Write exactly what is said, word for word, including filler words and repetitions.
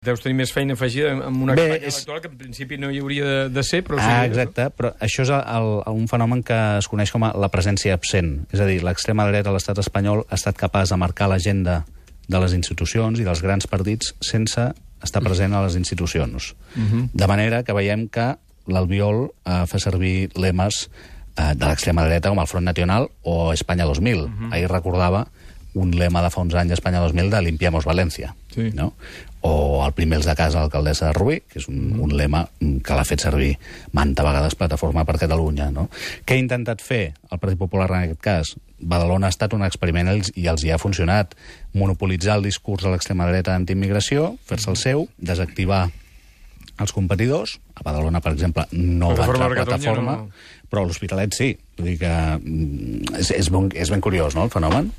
Deus tenir més feina afegida amb una Bé, campanya és... electoral que en principi no hi hauria de, de ser, però... Ah, sí, exacte, però això és el, el, un fenomen que es coneix com a la presència absent. És a dir, l'extrema dreta a l'estat espanyol ha estat capaç de marcar l'agenda de les institucions i dels grans partits sense estar present a les institucions. Uh-huh. De manera que veiem que l'Albiol eh, fa servir lemes eh, de l'extrema dreta com el Front Nacional o Espanya dos mil. Uh-huh. Ahir recordava un lema de fa uns anys Espanya dos mil de Limpiamos València. Sí. No? O el primer els de casa, l'alcaldessa de Rubí, que és un, mm. un lema que l'ha fet servir manta vegades Plataforma per Catalunya. No? Què ha intentat fer el Partit Popular en aquest cas? Badalona ha estat un experiment i els hi ha funcionat. Monopolitzar el discurs de l'extrema dreta d'antiimmigració, fer-se el seu, desactivar els competidors. A Badalona, per exemple, no va entrar a Plataforma, no... però a l'Hospitalet sí. Vull dir que és, és, ben, és ben curiós, no?, el fenomen.